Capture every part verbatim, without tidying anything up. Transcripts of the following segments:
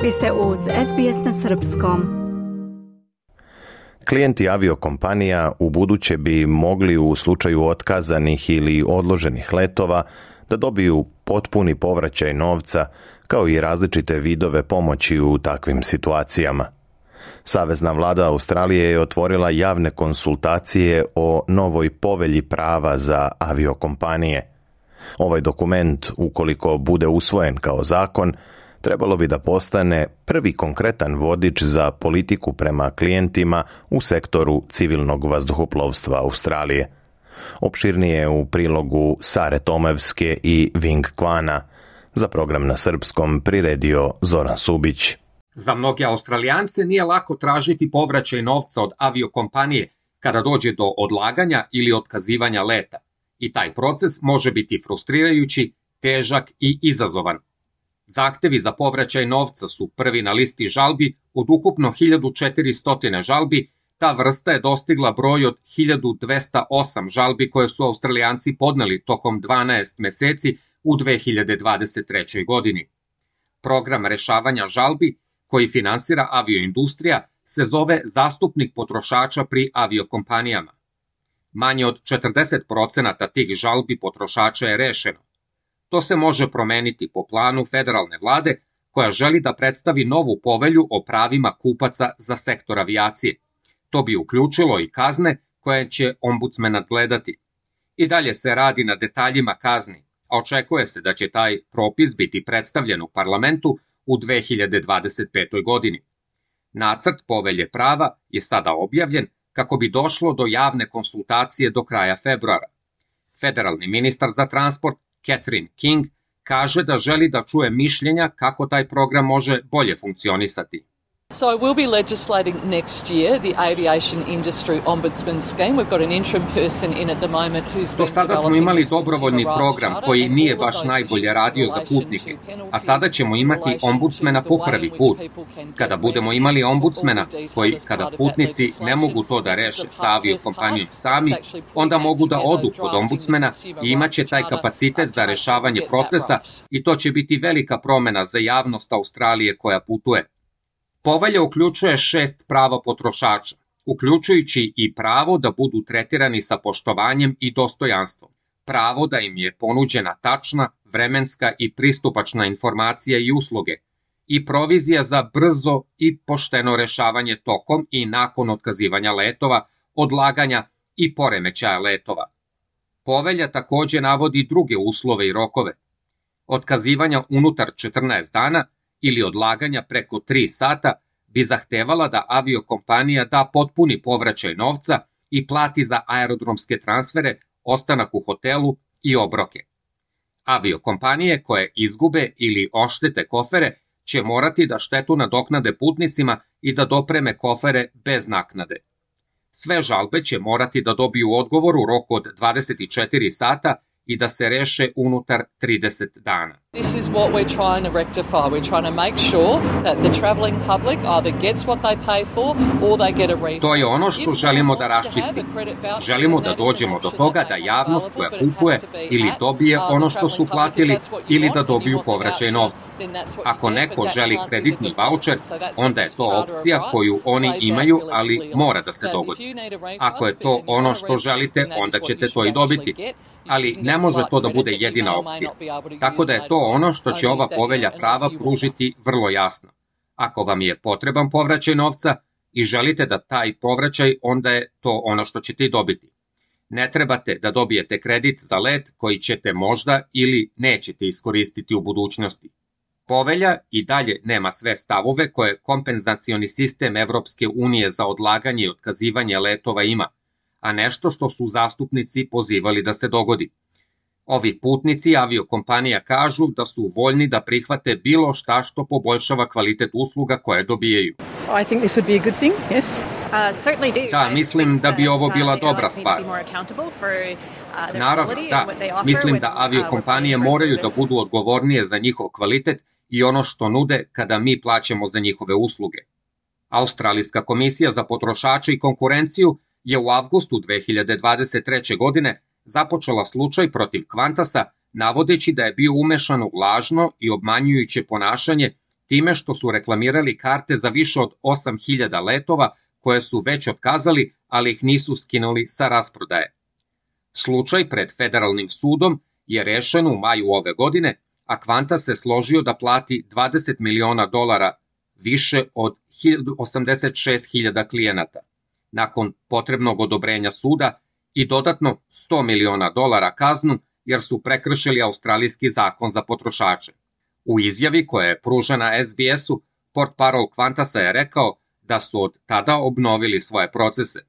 Vi ste uz S B S na srpskom. Klijenti aviokompanija u buduće bi mogli u slučaju otkazanih ili odloženih letova da dobiju potpuni povraćaj novca kao i različite vidove pomoći u takvim situacijama. Savezna vlada Australije je otvorila javne konsultacije o novoj povelji prava za aviokompanije. Ovaj dokument, ukoliko bude usvojen kao zakon, trebalo bi da postane prvi konkretan vodič za politiku prema klijentima u sektoru civilnog vazduhoplovstva Australije. Opširnije u prilogu Sare Tomevske i Ving Kvana. Za program na srpskom priredio Zoran Subić. Za mnoge Australijance nije lako tražiti povraćaj novca od aviokompanije kada dođe do odlaganja ili otkazivanja leta. I taj proces može biti frustrirajući, težak i izazovan. Zahtevi za povraćaj novca su prvi na listi žalbi od ukupno hiljadu četiristo žalbi. Ta vrsta je dostigla broj od hiljadu dvesta osam žalbi koje su Australijanci podneli tokom dvanaest meseci u dve hiljade dvadeset trećoj. godini. Program rešavanja žalbi, koji finansira avioindustrija, se zove Zastupnik potrošača pri aviokompanijama. Manje od četrdeset procenata tih žalbi potrošača je rešeno. To se može promeniti po planu federalne vlade, koja želi da predstavi novu povelju o pravima kupaca za sektor avijacije. To bi uključilo i kazne koje će ombudsman nadgledati. I dalje se radi na detaljima kazni, a očekuje se da će taj propis biti predstavljen u parlamentu u dve hiljade dvadeset petoj. godini. Nacrt povelje prava je sada objavljen kako bi došlo do javne konsultacije do kraja februara. Federalni ministar za transport Catherine King kaže da želi da čuje mišljenja kako taj program može bolje funkcionisati. So we'll be legislating next year the aviation industry ombudsman scheme. We've got an interim person in at the moment who's been Do sada smo imali dobrovoljni program koji nije baš najbolje radio za putnike, a sada ćemo imati ombudsmena po prvi put. Kada budemo imali ombudsmena koji, kada putnici ne mogu to da reše sa aviokompanijom sami, onda mogu da odu kod ombudsmena i imaće taj kapacitet za rešavanje procesa i to će biti velika promena za javnost Australije koja putuje. Povelja uključuje šest prava potrošača, uključujući i pravo da budu tretirani sa poštovanjem i dostojanstvom, pravo da im je ponuđena tačna, vremenska i pristupačna informacija i usluge, i provizija za brzo i pošteno rešavanje tokom i nakon otkazivanja letova, odlaganja i poremećaja letova. Povelja takođe navodi druge uslove i rokove. Otkazivanja unutar četrnaest dana ili odlaganja preko tri sata bi zahtevala da aviokompanija da potpuni povraćaj novca i plati za aerodromske transfere, ostanak u hotelu i obroke. Aviokompanije koje izgube ili oštete kofere će morati da štetu nadoknade putnicima i da dopreme kofere bez naknade. Sve žalbe će morati da dobiju odgovor u roku od dvadeset četiri sata i da se reše unutar trideset dana. This is what we're trying to rectify. We're trying to make sure that the travelling public either gets what they pay for or they get a refund. To je ono što želimo da raščistimo. Želimo da dođemo do toga da javnost koja kupuje ili dobije ono što su platili ili da dobiju povraćaj novca. Ako neko želi kreditni vaučer, onda je to opcija koju oni imaju, ali mora da se dogodi. Ako je to ono što želite, onda ćete to i dobiti. Ali ne može to da bude jedina opcija. Tako da je to ono što će ova povelja prava pružiti vrlo jasno. Ako vam je potreban povraćaj novca i želite da taj povraćaj, onda je to ono što ćete i dobiti. Ne trebate da dobijete kredit za let koji ćete možda ili nećete iskoristiti u budućnosti. Povelja i dalje nema sve stavove koje kompenzacioni sistem Evropske unije za odlaganje i otkazivanje letova ima, a nešto što su zastupnici pozivali da se dogodi. Ovi putnici aviokompanija kažu da su voljni da prihvate bilo šta što poboljšava kvalitet usluga koje dobijaju. I think this would be a good thing, yes. Da, mislim da bi ovo bila dobra stvar. Naravno, da. Mislim da aviokompanije moraju da budu odgovornije za njihov kvalitet i ono što nude kada mi plaćamo za njihove usluge. Australijska komisija za potrošače i konkurenciju je u avgustu dve hiljade dvadeset treće. godine započela slučaj protiv Qantasa, navodeći da je bio umešan u lažno i obmanjujuće ponašanje time što su reklamirali karte za više od osam hiljada letova koje su već otkazali, ali ih nisu skinuli sa rasprodaje. Slučaj pred federalnim sudom je rešen u maju ove godine, a Qantas se složio da plati dvadeset miliona dolara više od osamdeset šest hiljada klijenata, nakon potrebnog odobrenja suda i dodatno sto miliona dolara kaznu jer su prekršili australijski zakon za potrošače. U izjavi koja je pružena es bi esu, portparol Qantasa je rekao da su od tada obnovili svoje procese.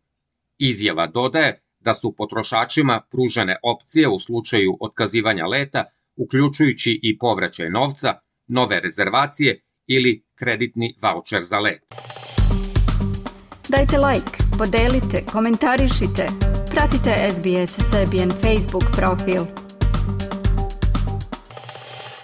Izjava dodaje da su potrošačima pružene opcije u slučaju otkazivanja leta, uključujući i povraćaj novca, nove rezervacije ili kreditni vaučer za let. Dajte like, podelite, komentarišite, pratite es bi es Serbian Facebook profil.